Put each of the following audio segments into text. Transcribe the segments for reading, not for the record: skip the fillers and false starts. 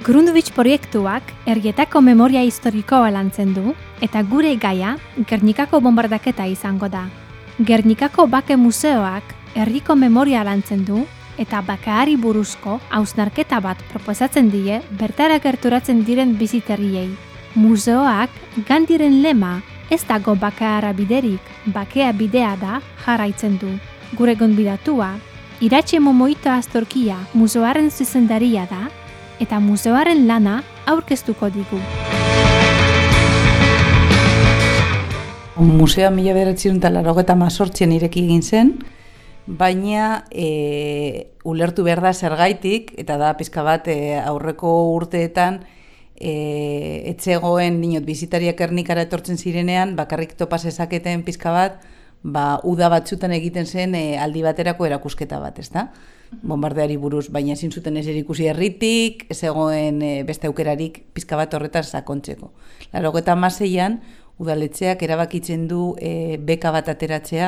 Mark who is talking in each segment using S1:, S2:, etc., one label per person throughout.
S1: Grundtvig proiektuak herrietako memoria historikoa lantzen du eta gure gaia Gernikako bombardaketa izango da. Gernikako Bake Museoak herriko memoria lantzen du eta bakeari buruzko hausnarketa bat proposatzen die bertara gerturatzen diren bisitariei. Museoak Gandiren lema ez dago bakeara biderik, bakea bidea da jarraitzen du. Gure gonbidatua, Iratxe Momoito Astorkia museoaren zuzendaria da eta museoaren lana aurkeztuko digu.
S2: Museoa 1988an ireki egin zen, baina ulertu behar da zergaitik, eta da pizka bat aurreko urteetan etzegoen dinot bizitariak Gernikara etortzen zirenean, bakarrik topa zezaketen pizka bat, uda batzutan egiten zen aldi baterako erakusketa bat, ezta? Bombardeari buruz, baina ezin zuten ezer ikusi herritik, ez egoen beste aukerarik pizka bat horretan sakontzeko. 86an udaletxeak erabakitzen du beka bat ateratzea,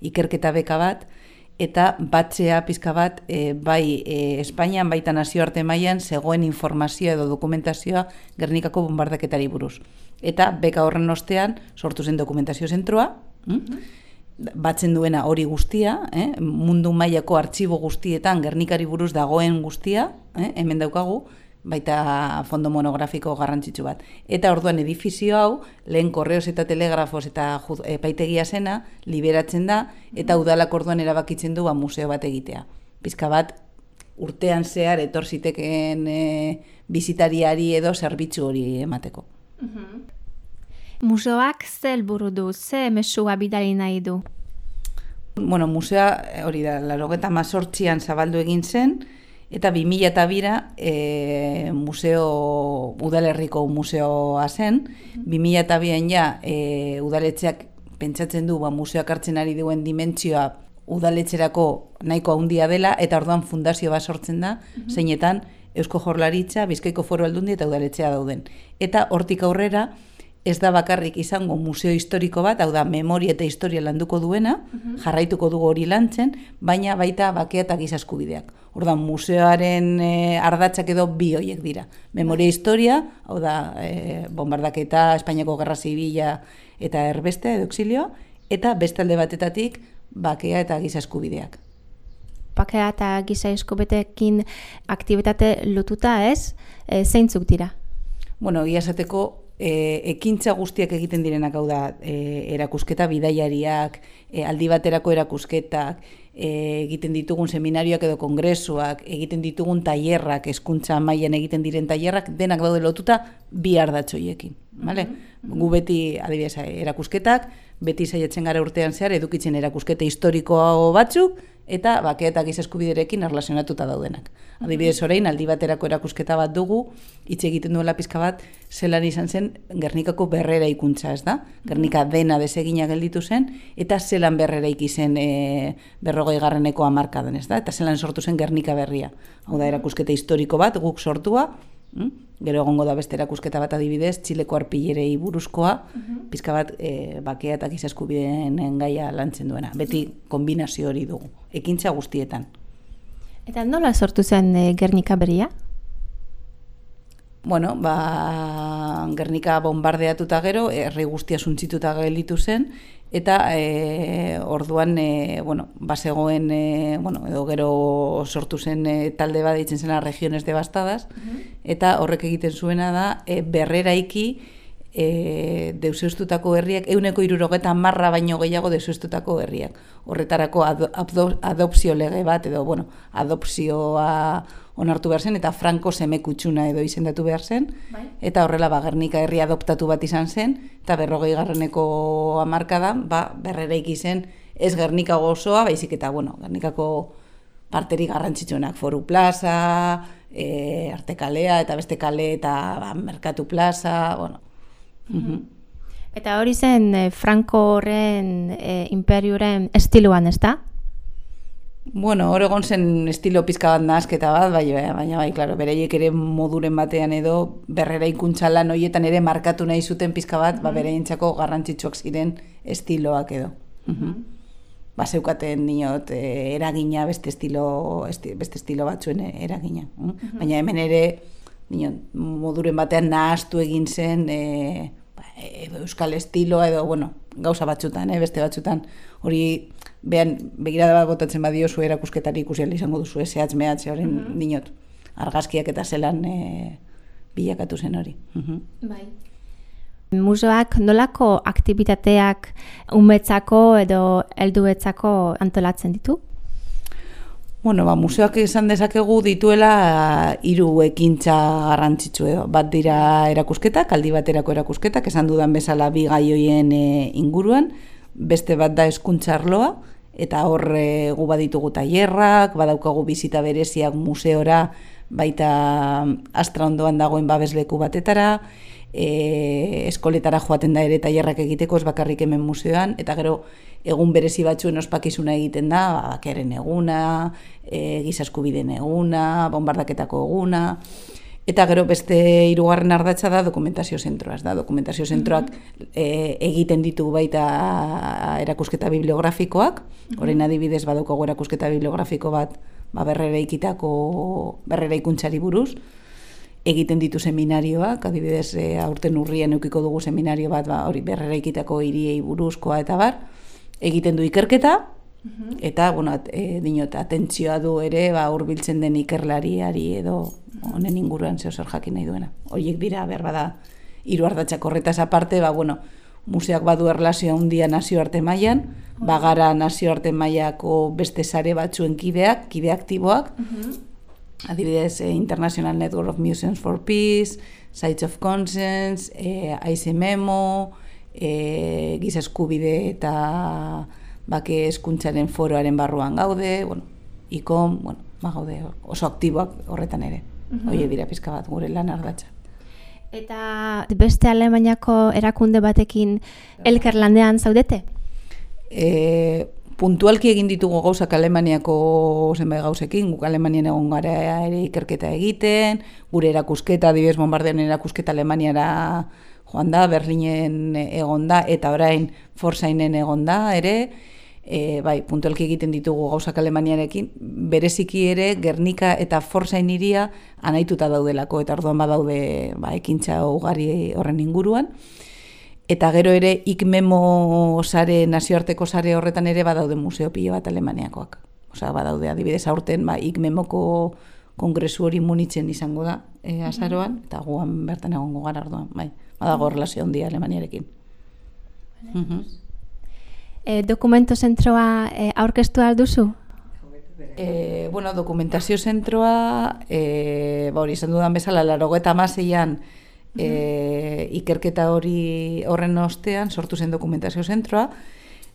S2: ikerketa beka bat, eta batzea pizka bat bai Espainian baita nazioarte mailan zegoen informazioa edo dokumentazioa Gernikako bombardaketari buruz. Eta beka horren ostean sortu zen dokumentazio zentroa, batzen duena hori guztia, mundu mailako artxibo guztietan Gernikari buruz dagoen guztia, hemen daukagu, baita fondo monografiko garrantzitsu bat. Eta orduan edifizio hau, lehen korreos eta telegrafos eta epaitegia zena, liberatzen da, eta udalak orduan erabakitzen du museo bat egitea. Pizka bat, urtean zehar etor zitekeen bisitariari edo zerbitzu hori emateko.
S1: Museoak ze helburu du, ze mezua bidali nahi du?
S2: Bueno, museoa hori da, 88an zabaldu egin zen, eta 2002 udalerriko museoa zen, 2002an ja udaletxeak pentsatzen du museoak hartzen ari duen dimentsioa udaletxerako nahiko handia dela, eta orduan fundazio bat sortzen da, zeinetan Eusko Jaurlaritza, Bizkaiko Foru Aldundia eta udaletxea dauden. Eta hortik aurrera, ez da bakarrik izango museo historiko bat, hau da, memoria eta historia landuko duena, jarraituko dugu hori lantzen, baina baita bakea eta giza eskubideak. Orduan, museoaren ardatzak edo bi horiek dira. Memoria historia, hau da, bombardaketa, Espainiako Gerra Zibila eta erbeste, edo exilioa, eta beste alde batetatik bakea eta giza eskubideak.
S1: Bakea eta giza eskubideekin aktibitate lotuta ez, zeintzuk dira?
S2: Bueno, egia esateko, ekintza guztiak egiten direnak, hau da, erakusketa bidaiariak, aldi baterako erakusketak, egiten ditugun seminarioak edo kongresuak, egiten ditugun tailerrak, hezkuntza mailan egiten diren tailerrak, denak daude lotuta bi ardatzoiekin. Gu beti, adibidez, erakusketak, beti saiatzen gara urtean zehar edukitzen erakusketa historiko batzuk, eta bakea eta giza eskubiderekin erlazionatuta daudenak. Adibidez, orain, aldi baterako erakusketa bat dugu, hitz egiten duela pizka bat, zelan izan zen Gernikako berrera ikuntza, ez da? Gernika dena desegina gelditu zen, eta zelan berrera ikizen 40. hamarkadan, ez da? Eta zelan sortu zen Gernika berria. Hau da, erakusketa historiko bat, guk sortua, gero egongo da beste erakusketa bat adibidez, Txileko arpillerei buruzkoa, pizka bat bakea eta giza eskubideen gaia lantzen duena. Beti kombinazio hori dugu, ekintza guztietan.
S1: Eta nola sortu zen Gernika berria?
S2: Bueno, Gernika bombardeatuta gero, herri guztia suntzituta gelditu zen, eta orduan bazegoen, edo gero sortu zen talde bat deitzen zena regiones devastadas, eta horrek egiten zuena da berreraiki deuseztutako herriak, 170 baino gehiago deuseztutako herriak. Horretarako adopzio lege bat, edo adopzioa onartu behar zen, eta Franco semekutxuna edo izendatu behar zen, eta horrela Gernika herri adoptatu bat izan zen, eta 40. hamarkadan berreraiki zen ez Gernika osoa, baizik eta Gernikako parterik garrantzitsuenak, Foru Plaza, Artekalea, eta beste kale, eta Merkatu Plaza,
S1: Eta hori zen Francoren imperioren estiloan, ez da?
S2: Bueno, hor egon zen estilo pizka bat nahasketa bat, baina claro, bereiek ere moduren batean edo berrera ikuntza lan horietan ere markatu nahi zuten pizka bat, bereientzako garrantzitsuak ziren estiloak edo. Zeukaten diot eragina beste estilo batzuen eragina. Baina hemen ere moduren batean nahaztu egin zen euskal estiloa edo, gauza batzutan, beste batzutan, hori begirada bat botatzen badiozu erakusketari ikusi ahal izango duzu, zehatz mehatz, horren dinot, argazkiak eta zelan bilakatu zen hori.
S1: Bai. Museoak nolako aktibitateak umetzako edo helduetzako antolatzen ditu?
S2: Museoak esan dezakegu dituela 3 ekintza garrantzitsu edo. Bat dira erakusketak, aldi baterako erakusketak, esan dudan bezala 2 gai hoien inguruan, beste bat da hezkuntza arloa, eta hor gu baditugu tailerrak, badaukagu bizita bereziak museora, baita Astra ondoan dagoen babesleku batetara, eskoletara joaten da ere tailerrak egiteko, ez bakarrik hemen museoan, eta gero egun berezi batzuen ospakizuna egiten da, bakearen eguna, giza eskubideen eguna, bombardaketako eguna, eta gero beste 3. ardatza da dokumentazio zentroa. Dokumentazio zentroak egiten ditu baita erakusketa bibliografikoak, orain adibidez badaukagu erakusketa bibliografiko bat berreraikuntzari buruz, egiten ditu seminarioak, adibidez aurten urrian edukiko dugu seminario bat hori berreraikitako hiriei buruzkoa eta bar, egiten du ikerketa, eta atentzioa du ere hurbiltzen den ikerlariari edo honen inguruan zer jakin nahi duena. Horiek dira, berbada, 3 ardatzak horretaz aparte, museoak badu erlazioa handia nazioarte mailan, bagara nazioarte mailako beste sare batzuen kide aktiboak, adibidez International Network of Museums for Peace, Sites of Conscience, AICMEMO, giza eskubide eta bake hezkuntzaren foroaren barruan gaude, ICOM, gaude oso aktiboak horretan ere. Horiek dira pizka bat gure lan ardatza.
S1: Eta beste Alemaniako erakunde batekin elkarlanean zaudete?
S2: Puntualki egin ditugu gauzak Alemaniako zenbait gauzekin, guk Alemanian egon gara ere ikerketa egiten, gure erakusketa, adibidez Bombardearen erakusketa Alemaniara joan da, Berlinen egon da, eta orain Forsainen egon da ere, puntualki egiten ditugu gauzak Alemaniarekin, bereziki ere Gernika eta Forsain hiria anaituta daudelako, eta orduan badaude ekintza ugari horren inguruan. Eta gero ere ICMEMO sare, nazioarteko sare horretan ere badaude museo pilo bat Alemaniakoak. Badaude adibidez aurten ICMEMoko kongresu hori Munitzen izango da azaroan, eta guan bertan egongo gara orduan, badago erlazio handia Alemaniarekin.
S1: Dokumento zentroa aurkeztu alduzu?
S2: Dokumentazio zentroa, hori izan dudan bezala, 86an ikerketa horren ostean sortu zen dokumentazio zentroa.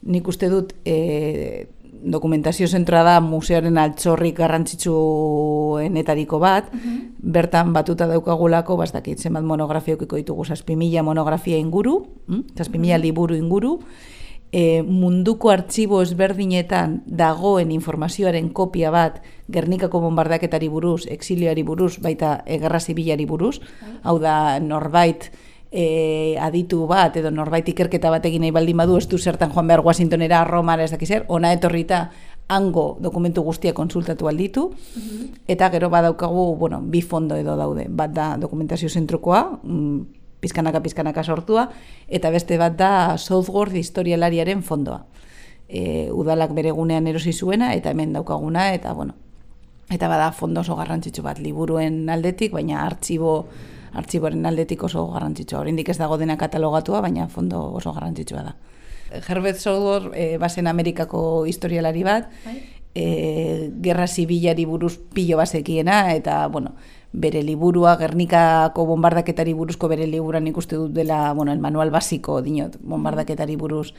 S2: Nik uste dut dokumentazio zentroa da museoaren altxorrik garrantzitsuenetariko bat, bertan batuta daukagulako, bastakit zenbat monografia eukiko ditugu, 7.000 monografia inguru, 7.000 liburu inguru, munduko artxibo ezberdinetan dagoen informazioaren kopia bat Gernikako bombardaketari buruz, exilioari buruz, baita gerra zibilari buruz, hau da norbait aditu bat edo norbait ikerketa bat egin nahi baldin badu, ez du zertan joan behar Washingtonera, Romara, ez dakizer, ona etorrita hango dokumentu guztia konsultatu alditu, eta gero badaukagu, 2 fondo edo daude, bat da dokumentazio zentrokoa, pizkanaka sortua, eta beste bat da Southworth historialariaren fondoa. Udalak bere gunean erosi zuena, eta hemen daukaguna, eta eta bada fondo oso garrantzitsu bat, liburuen aldetik, baina artxiboaren aldetik oso garrantzitsua. Oraindik ez dago dena katalogatua, baina fondo oso garrantzitsua da. Herbert Southworth bazen Amerikako historialari bat, gerra zibilari buruz pilo bazekiena, eta, bere liburua, Gernikako bombardaketari buruzko bere liburuan ikuste dut dela, el manual basiko, dinot, bombardaketari buruz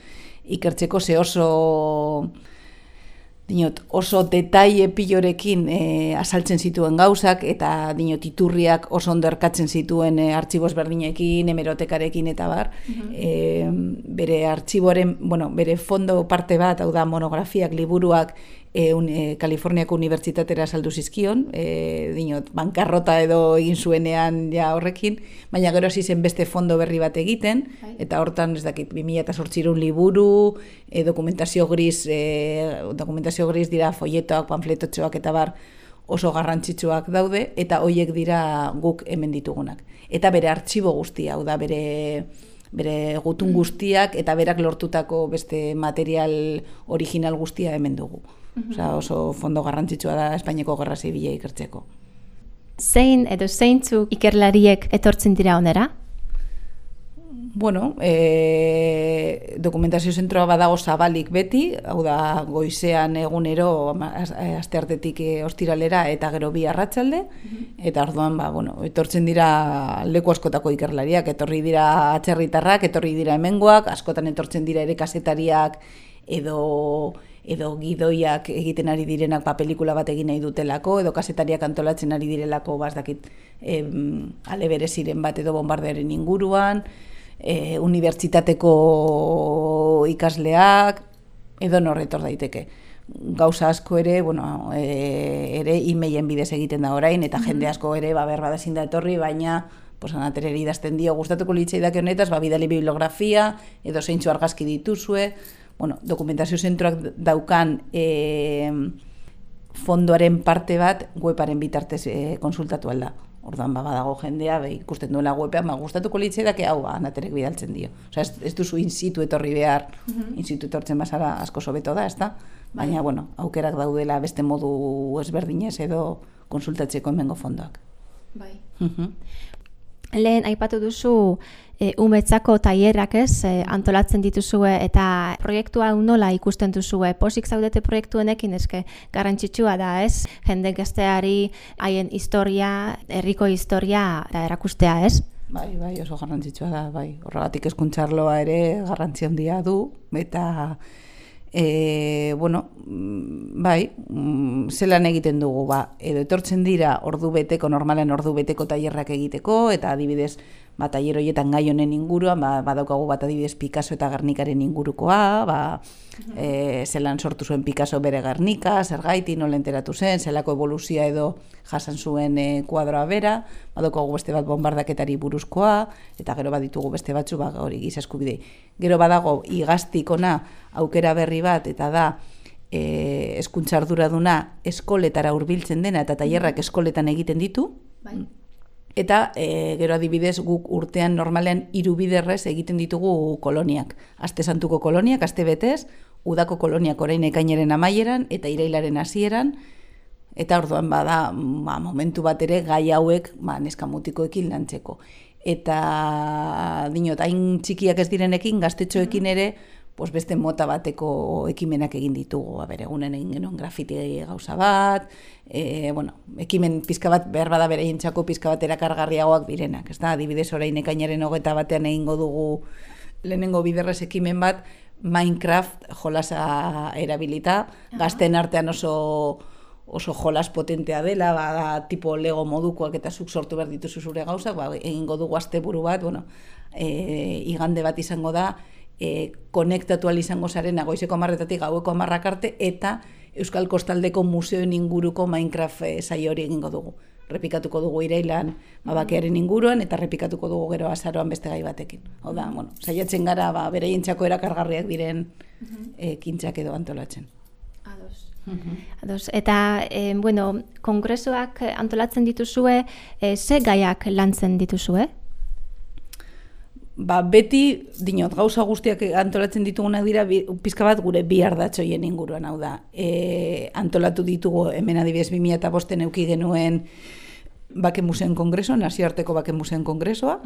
S2: ikertzeko, ze oso detaile pilorekin azaltzen zituen gauzak, eta iturriak oso ondo erkatzen zituen artxiboz berdinekin, hemerotekarekin eta bar. Bere artxiboaren, bere fondo parte bat, hau da monografiak, liburuak, Kaliforniako unibertsitatera saldu zizkion, bankarrota edo egin zuenean ja horrekin, baina gero hasi zen beste fondo berri bat egiten, eta hortan, ez dakit, 2008 liburu, dokumentazio gris dira folletoak, panfletotxoak eta bar, oso garrantzitsuak daude, eta hoiek dira guk hemen ditugunak. Eta bere artxibo guztia, hau da bere gutun guztiak, eta berak lortutako beste material original guztia hemen dugu. Osea, oso fondo garrantzitsua da Espainiako Gerra Zibila ikertzeko.
S1: Zein edo zeintzuk ikerlariek etortzen dira onera?
S2: Bueno, dokumentazio zentroa badago zabalik beti, hau da goizean egunero asteartetik ostiralera eta gero bi arratsalde, eta orduan etortzen dira leku askotako ikerlariak, etorri dira atzerritarrak, etorri dira hemengoak, askotan etortzen dira ere kazetariak edo gidoiak egiten ari direnak pelikula bat egin nahi dutelako, edo kazetariak antolatzen ari direlako bazdakit ale bereziren bat edo bombardearen inguruan, unibertsitateko ikasleak, edo norretor daiteke. Gauza asko ere, ere e-mailen bidez egiten da orain, eta jende asko ere, berba ezin da etorri, baina anatereri idazten dio, gustatuko litzaidake honetaz, bidali bibliografia, edo zeintzu argazki dituzue, dokumentazio zentroak daukan fondoaren parte bat webaren bitartez konsultatu alda. Orduan badago jendea, ikusten duela webean, gustatuko litzaidake hau anaterek bidaltzen dio. Osea, ez duzu in situ etorri behar, in situ etortzen bazara asko hobeto da, ezta? Baina, aukerak daudela beste modu ezberdinez edo konsultatzeko hemengo fondoak.
S1: Bai. Lehen aipatu duzu umetzako tailerrak antolatzen dituzue eta proiektua nola ikusten duzue. Pozik zaudete proiektuenekin eske garrantzitsua da, ez? Jende gazteari haien historia, herriko historia eta erakustea, ez?
S2: Bai, oso garrantzitsua da, bai. Horregatik hezkuntza arloa ere garrantzi handia du eta zelan egiten dugu, edo etortzen dira normalen ordu beteko tailerrak egiteko, eta adibidez, tailer horietan gai honen inguruan, badaukagu bat adibidez Picasso eta Gernikaren ingurukoa, zelan sortu zuen Picasso bere Gernika, zergaiti, nola enteratu zen, zelako evoluzioa edo jasan zuen kuadroa bera, badaukagu beste bat bombardaketari buruzkoa, eta gero baditugu beste batzu, hori giza eskubidei. Gero badago igaztik ona aukera berri bat, eta da hezkuntza arduraduna eskoletara hurbiltzen dena, eta tailerrak eskoletan egiten ditu. Eta gero adibidez guk urtean normalean 3 biderrez egiten ditugu koloniak. Aste santuko koloniak, aste betez, udako koloniak orain ekainaren amaieran eta irailaren hasieran, eta orduan bada momentu bat ere gai hauek neska mutikoekin lantzeko. Eta dinot, hain txikiak ez direnekin, gaztetxoekin ere, beste mota bateko ekimenak egin ditugu. Egunen egin genuen grafiti gauza bat, ekimen pizka bat behar bada beraientzako pizka bat erakargarriagoak direnak. Adibidez orain ekainaren 21 egingo dugu lehenengo biderrez ekimen bat, Minecraft jolasa erabilita, gazten artean oso jolas potentea dela, tipo Lego modukoak eta zuk sortu behar dituzu zure gauzak, egingo dugu asteburu bat, igande bat izango da, konektatu izango zarena goizeko 10:00 gaueko 10:00 arte, eta Euskal Kostaldeko museoen inguruko Minecraft saio hori egingo dugu. Repikatuko dugu irailan bakearen inguruan, eta repikatuko dugu gero azaroan beste gai batekin. Hau da, saiatzen gara beraientzako erakargarriak diren ekintzak edo antolatzen.
S1: Ados. Eta, kongresoak antolatzen dituzue, ze gaiak lantzen dituzue?
S2: Beti, dinot, gauza guztiak antolatzen ditugunak dira, pizka bat gure bi ardatzoien inguruan, hau da. Antolatu ditugu, hemen adibidez 2005 eduki genuen Bake Museoen Kongresoa, nazioarteko Bake Museoen Kongresoa,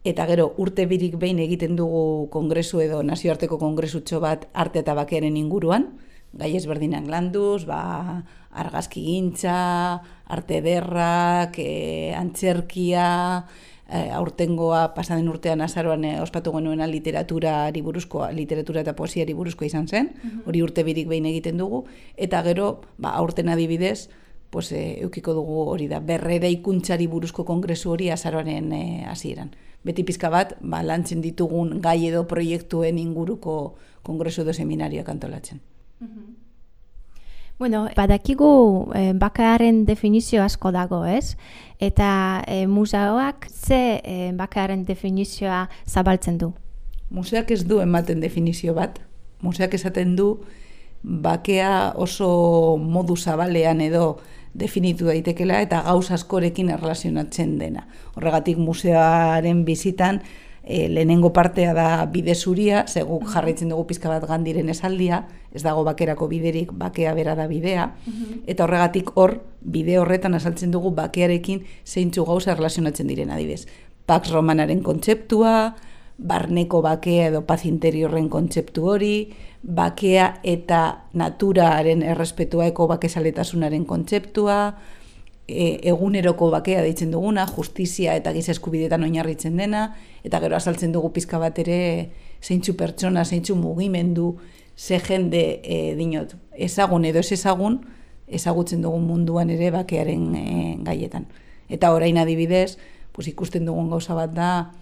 S2: eta gero urte birik behin egiten dugu kongresu edo nazioarteko kongresutxo bat arte eta bakearen inguruan, gai ezberdinak landuz, argazki gintza, arte ederrak, antzerkia, aurtengoa pasaden urtean azaroan ospatu genuena literatura eta poesiari buruzkoa izan zen, hori urte birik behin egiten dugu, eta gero aurten adibidez, eukiko dugu hori da, berreraikuntzari buruzko kongresu hori azaroaren hasieran. Beti pizka bat, lantzen ditugun gai edo proiektuen inguruko kongresu edo seminarioak antolatzen.
S1: Badakigu bakearen definizio asko dago, ez? Eta museoak ze bakearen definizioa zabaltzen du?
S2: Museoak ez du ematen definizio bat. Museoak esaten du bakea oso modu zabalean edo definitu daitekela eta gauza askorekin erlazionatzen dena. Horregatik museoaren bizitan lehenengo partea da bide zuria, guk jarraitzen dugu pizka bat Gandiren esaldia, ez dago bakerako biderik, bakea bera da bidea, eta horregatik bide horretan azaltzen dugu bakearekin zeintzu gauza erlazionatzen diren adibidez. Pax Romanaren kontzeptua, barneko bakea edo paz interiorren kontzeptu hori, bakea eta naturaren errespetua bakezaletasunaren kontzeptua, eguneroko bakea deitzen duguna, justizia eta giza eskubideetan oinarritzen dena, eta gero azaltzen dugu pizka bat ere zeintzu pertsona, zeintzu mugimendu, ze jende dinot, ezagun edo ez ezagun, ezagutzen dugun munduan ere bakearen gaietan. Eta orain adibidez, pues, ikusten dugun gauza bat da,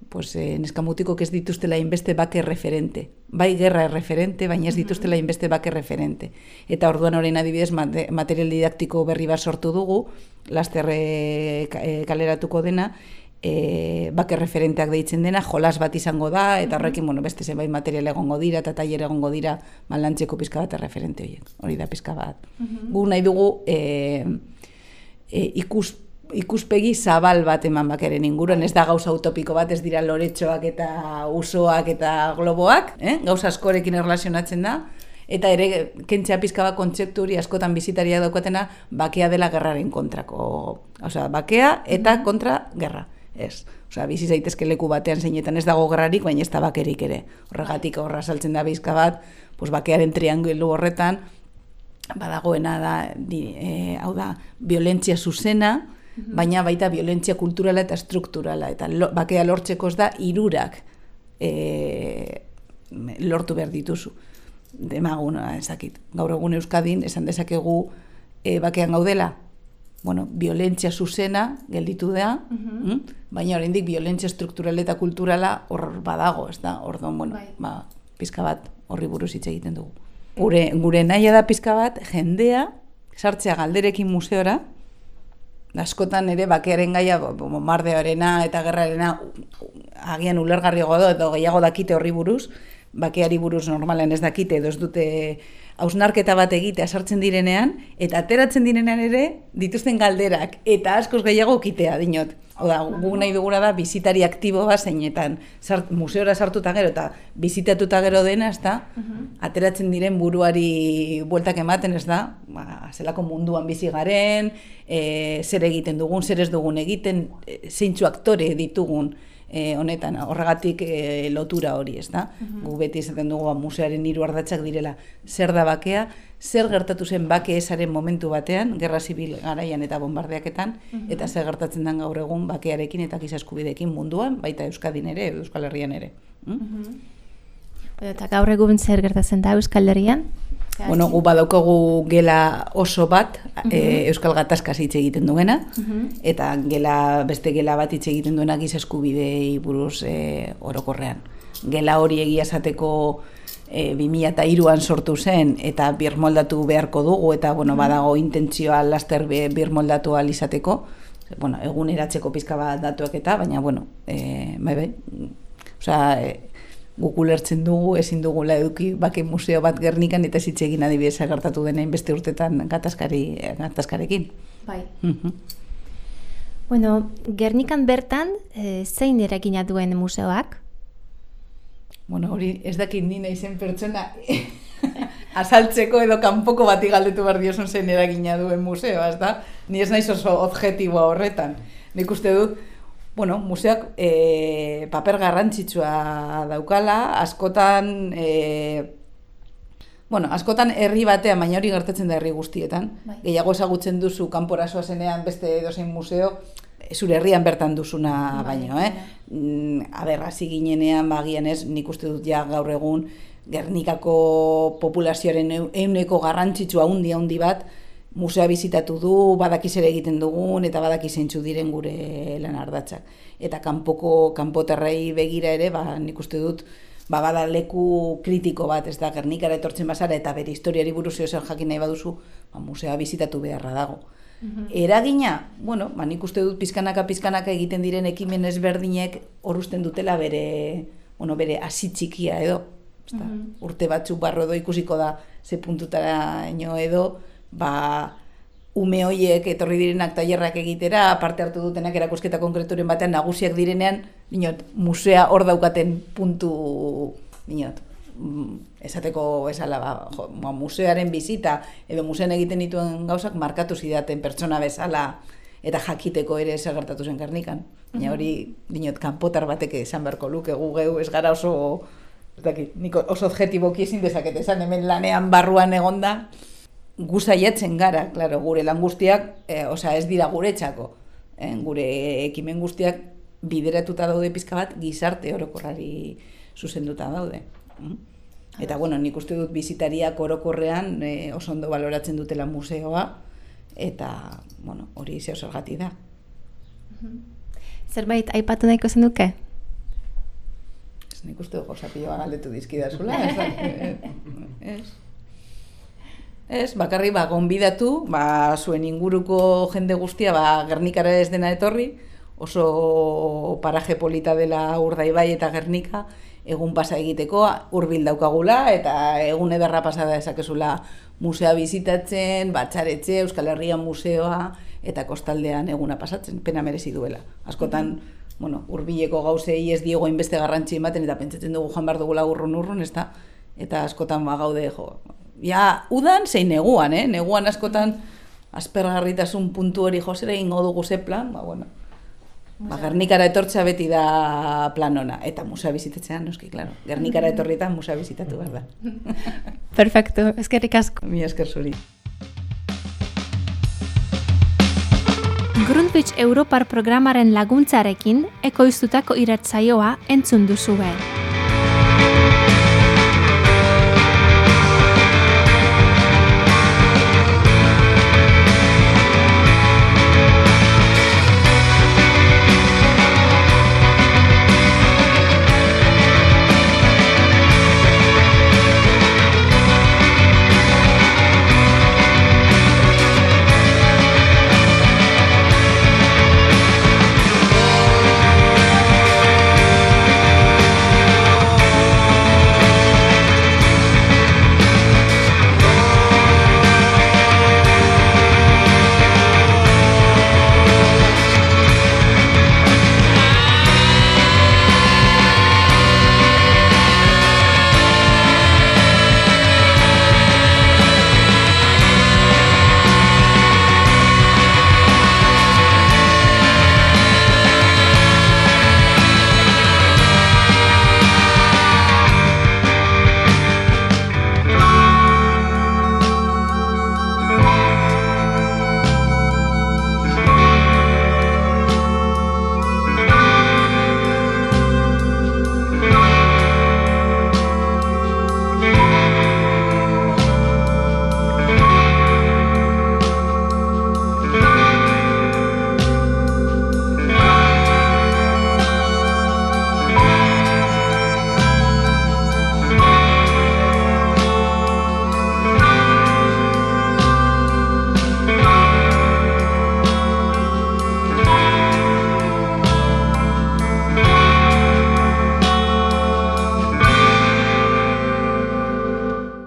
S2: pues, neskamutikok ez dituztela inbeste bake referente. Bai gerra erreferente, baina ez dituztela inbeste bake referente. Eta orduan orain adibidez material didaktiko berri bat sortu dugu, laster kaleratuko dena, bake referenteak deitzen dena, jolas bat izango da, eta horrekin beste zenbait material egongo dira, eta tailer egongo dira lantzeko pizka bat erreferente horiek. Hori da pizka bat. Gu nahi dugu ikuspegi zabal bat eman bakearen inguruan, ez da gauza utopiko bat, ez dira loretxoak eta usoak eta globoak, gauza askorekin erlazionatzen da, eta ere kentzea pizka bat kontzeptu hori askotan bizitaria daukatena bakea dela gerraren kontrako, bakea eta kontra gerra, ez. Bizi zaitezke leku batean zeinetan ez dago gerrarik, baina ez da bakerik ere. Horregatik horra saltzen da pizka bat, bakearen triangelu horretan, badagoena da, hau da, violentzia zuzena, baina baita violentzia kulturala eta strukturala, eta bakea lortzeko ez da hirurak lortu behar dituzu. Demaguna ezakit. Gaur egun Euskadin esan dezakegu bakean gaudela, violentzia zuzena gelditu da, baina oraindik violentzia strukturala eta kulturala hor badago, ez da? Orduan, pizka bat horri buruz hitz egiten dugu. Gure nahia da pizka bat jendea sartzea galderekin museora, askotan ere bakearen gaia bombardeoarena eta gerrarena agian ulergarriago da edo gehiago dakite horri buruz, bakeari buruz normalen ez dakite edo ez dute hausnarketa bat egitea sartzen direnean, eta ateratzen direnean ere dituzten galderak eta askoz gehiago kitea dinot. Oda, gu nahi dugura da bizitari aktibo bat zeinetan museora sartuta gero eta bizitatuta gero dena, ez da, ateratzen diren buruari bueltak ematen, ez da, zelako munduan bizi garen, zer egiten dugun, zer ez dugun egiten, zeintzu aktore ditugun honetan, horregatik lotura hori, ez da. Gu beti esaten dugu museoaren 3 ardatzak direla, zer da bakea, zer gertatu zen bake ezaren momentu batean, gerra zibil garaian eta bombardeaketan, eta zer gertatzen den gaur egun bakearekin eta giza eskubideekin munduan, baita Euskadin ere, Euskal Herrian ere.
S1: Eta gaur egun zer gertatzen da Euskal Herrian?
S2: Gu badaukagu gela oso bat, Euskal Gatazkaz hitz egiten duena, eta beste gela bat hitz egiten duena giza eskubidei buruz orokorrean. Gela hori egia esateko 2003an sortu zen, eta birmoldatu beharko dugu, eta badago intentzioa laster birmoldatu ahal izateko, eguneratzeko pizka bat datuak eta, baina, guk ulertzen dugu, ezin dugula eduki bake museo bat Gernikan eta hitz egin adibidez gertatu denein beste urtetan gatazkarekin.
S1: Bai. Gernikan bertan zein eragina duen museoak?
S2: Hori ez dakit ni naizen pertsona azaltzeko edo kanpoko bati galdetu behar diozun zein eragina duen museoa, ez da? Ni ez naiz oso objektiboa horretan. Nik uste dut, museoak paper garrantzitsua daukala, askotan herri batean, baina hori gertatzen da herri guztietan. Gehiago ezagutzen duzu kanpora zoazenean beste edozein museo, zure herrian bertan duzuna baino, hasi ginenean bagian ez, nik uste dut ja gaur egun Gernikako populazioaren 100% garrantzitsua handi bat, museoa bizitatu du, badaki zer egiten dugun, eta badaki zeintzu diren gure lan ardatzak. Eta kanpotarrei begira ere, nik uste dut, bada leku kritiko bat, ez da, Gernikara etortzen bazara, eta bere historiari buruz zer jakin nahi baduzu, museoa bizitatu beharra dago. Eragina, nik uste dut pizkanaka egiten diren ekimen ezberdinek horusten dutela bere hasi txikia edo. Urte batzuk barro edo ikusiko da ze puntutara edo, ume hoiek etorri direnak tailerrak egitera, parte hartu dutenak erakusketa konkreturen batean nagusiak direnean, musea hor daukaten puntu, esateko bezala, museoaren bizita, edo musean egiten dituen gauzak markatu zidaten pertsona bezala, eta jakiteko ere zer gertatu zen Gernikan. Baina hori, kanpotar batek esan beharko luke, gu geu ez gara oso, nik oso objetiboki ezin dezaket esan, hemen lanean barruan egonda, gu saiatzen gara, claro, gure lan guztiak, ez dira guretzako, gure ekimen guztiak bideratuta daude pizka bat gizarte orokorrari zuzenduta daude. Eta, nik uste dut bizitariak orokorrean oso ondo baloratzen dutela museoa, eta, hori zeo zergatik da.
S1: Zerbait aipatu nahiko zenuke?
S2: Nik uste dut gozapioa galdetu dizkidazula, ez, bakarri gonbidatu, zuen inguruko jende guztia Gernikara ez dena etorri, oso paraje polita dela Urdaibai eta Gernika, egun pasa egiteko, hurbil daukagula, eta egun ederra pasada ezakezula musea bizitatzen, Batxaretxe, Euskal Herrian museoa, eta kostaldean eguna pasatzen, pena merezi duela. Askotan, hurbileko gauzei ez diego inbeste garrantzi ematen, eta pentsatzen dugu joan behar dugula urrun, ez da? Eta askotan gaude, udan zein neguan, neguan askotan aspergarritasun puntu hori josera egingo dugu ze plan, Gernikara etortzea beti da plan ona, eta musea bizitatzean, noski, claro. Gernikara etorrietan musea bizitatu behar da.
S1: Perfecto, eskerrik asko.
S2: Mi esker zuri.
S1: Grundtvig Europar programaren laguntzarekin ekoiztutako irratsaioa entzun duzue.